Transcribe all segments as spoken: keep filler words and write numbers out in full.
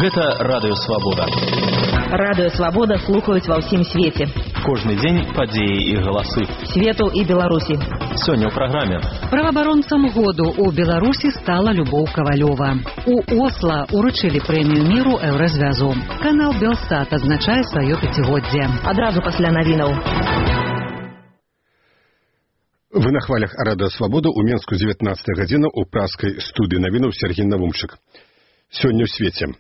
Гэта Радыё Свабода. Радыё Свабода слухаюць ва ўсім свеце. Кожны дзень падзеі і галасы. Свету і Беларусі. Сёння ў праграме. Праваабаронцам году ў Беларусі стала Любоў Кавалёва. У Осла уручылі прэмію міру Еўразвязу. Канал Белсат адзначае сваё пяцігоддзе. Адразу пасля навінаў. Вы на хвалях Радыё Свабода ў Менску дзевятнаццатая гадзіна ў праскай студыі навінаў Сергей Навумчык. Сёння ў свеце.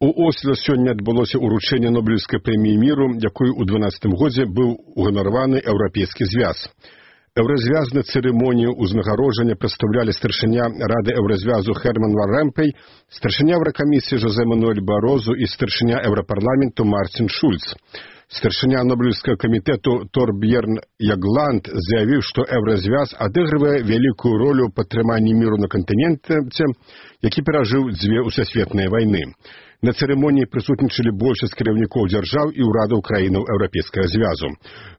У Осло сёння адбылося ўручэнне Нобелеўскай прэміі міру, якой у дванаццатым годзе быў уганараваны Еўрапейскі звяз. Еўразвязную цырымонію ўзнагароджання прадстаўлялі старшыня Рады Еўразвязу Херман ван Ромпей, старшыня Еўракамісіі Жозе Мануэль Барозу і старшыня Еўрапарламенту Мартин Шульц. Старшыня Нобелеўскага камітэту Торбьерн Ягланд заявіў, што Еўразвяз адыгрывае вялікую ролю ў падтрыманні міру на кантыненце, які перажыў дзве ўсесветныя вайны. На цырымоніі прысутнічалі большасць кіраўнікоў дзяржаў і ўрадаў краінаў Еўрапейскага звязу.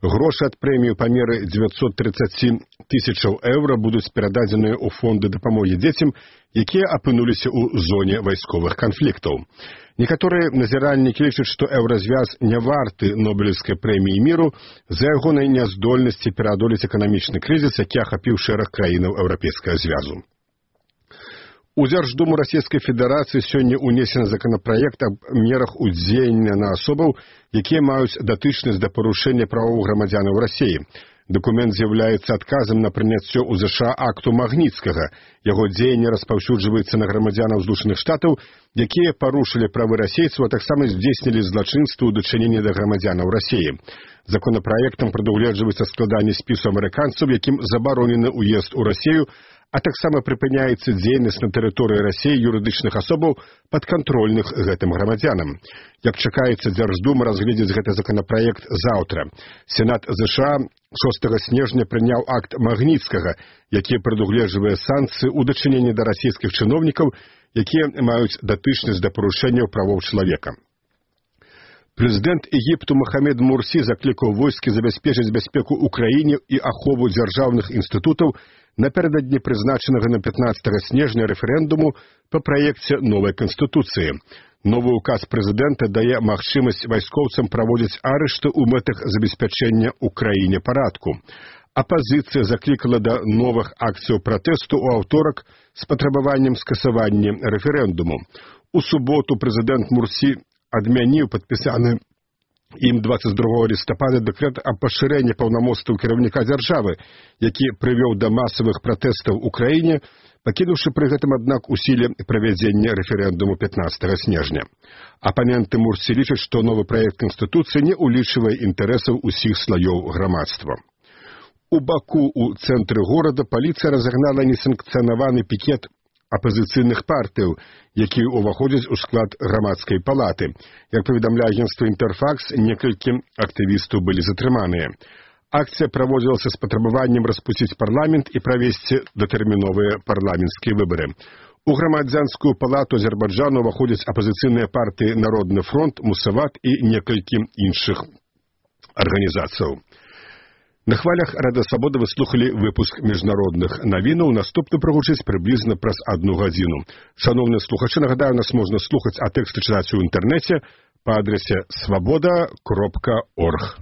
Грошы ад прэміі па меры дзевяцьсот тридцать тысячаў еўра будуць перададзеныя ў фонды дапамогі дзецям, якія апынуліся ў зоне вайсковых канфліктаў. Некаторыя назіральнікі лічаць, што Еўразвяз не варты Нобелеўскай прэміі міру з-за ягонай няздольнасці пераадолець эканамічны крызіс, які ахапіў шэраг краінаў Еўрапейскага звязу. У Дзярждуму Расійскай Федэрацыі сёння ўнесены законапраект аб мерах удзеяння на асобаў, якія маюць датычнасць да парушэння правоў грамадзянаў Расіі. Дакумент з'яўляецца адказам на прыняцце ў ЗША акту Магніцкага. Яго дзеянне распаўсюджваецца на грамадзянаў Злучаных Штатаў, якія парушылі правы расейцаў, а таксама здзейснілі злачынства ў дачыненні да грамадзянаў Расіі. Законапраектам прадугледжваецца складанне спісу амерыканцаў, якім забаронены ўезд у Расію, а таксама прыпыняецца дзейнасць на тэрыторыі Расіі юрыдычных асобаў падкантрольных гэтым грамадзянам. Як чакаецца, Дзярждума разгледзіць гэты законапраект заўтра. Сенат ЗША шостага снежня прыняў акт Магніцкага, які прадугледжвае санкцыі ў дачыненні да расійскіх чыноўнікаў, якія маюць датычнасць да парушэнняў правоў чалавека. Прэзідэнт Егіпту Махамед Мурсі заклікаў войскі забяспечыць бяспеку ў краіне і ахову дзяржаўных інстытутаў напярэдадні прызначанага на пятнаццатага снежня рэферэндуму па праекце новай канстытуцыі. Новы ўказ прэзідэнта дае магчымасць вайскоўцам праводзіць арышты ў мэтах забеспячэння ў краіне парадку. Апазіцыя заклікала да новых акцыяў пратэсту ў аўторак з патрабаваннем скасавання рэферэндуму. У суботу прэзідэнт Мурсі адмяніў падпісаны ім дваццаць другога лістапада дэкрэт аб пашырэнні паўнамоцтваў кіраўніка дзяржавы, які прывёў да масавых пратэстаў у краіне, пакінуўшы пры гэтым, аднак, у сіле правядзення рэферэндуму пятнаццатага снежня. Апаненты Мурсі лічаць, што новы праект канстытуцыі не ўлічвае інтарэсаў усіх слаёў грамадства. У Баку, у цэнтры горада, паліцыя разагнала несанкцыянаваны пікет апазіцыйных партыяў, якія ўваходзяць у склад грамадскай палаты. Як паведамляе агенцтва Інтэрфакс, некалькі актывістаў былі затрыманыя. Акцыя праводзілася з патрабаваннем распусціць парламент і правесці датэрміновыя парламенцкія выбары. У грамадзянскую палату Азербайджану ўваходзяць апазіцыйныя партыі Народны фронт, Мусават і некалькі іншых арганізацыяў. На хвалях Радыё Свабода вы слухалі выпуск міжнародных навінаў. Наступны прагучыць прыблізна праз адну гадзіну. Шаноўныя слухачы, нагадаю, нас можна слухаць, а тэксты чытаць у інтэрнэце па адрасе свабода кропка орг.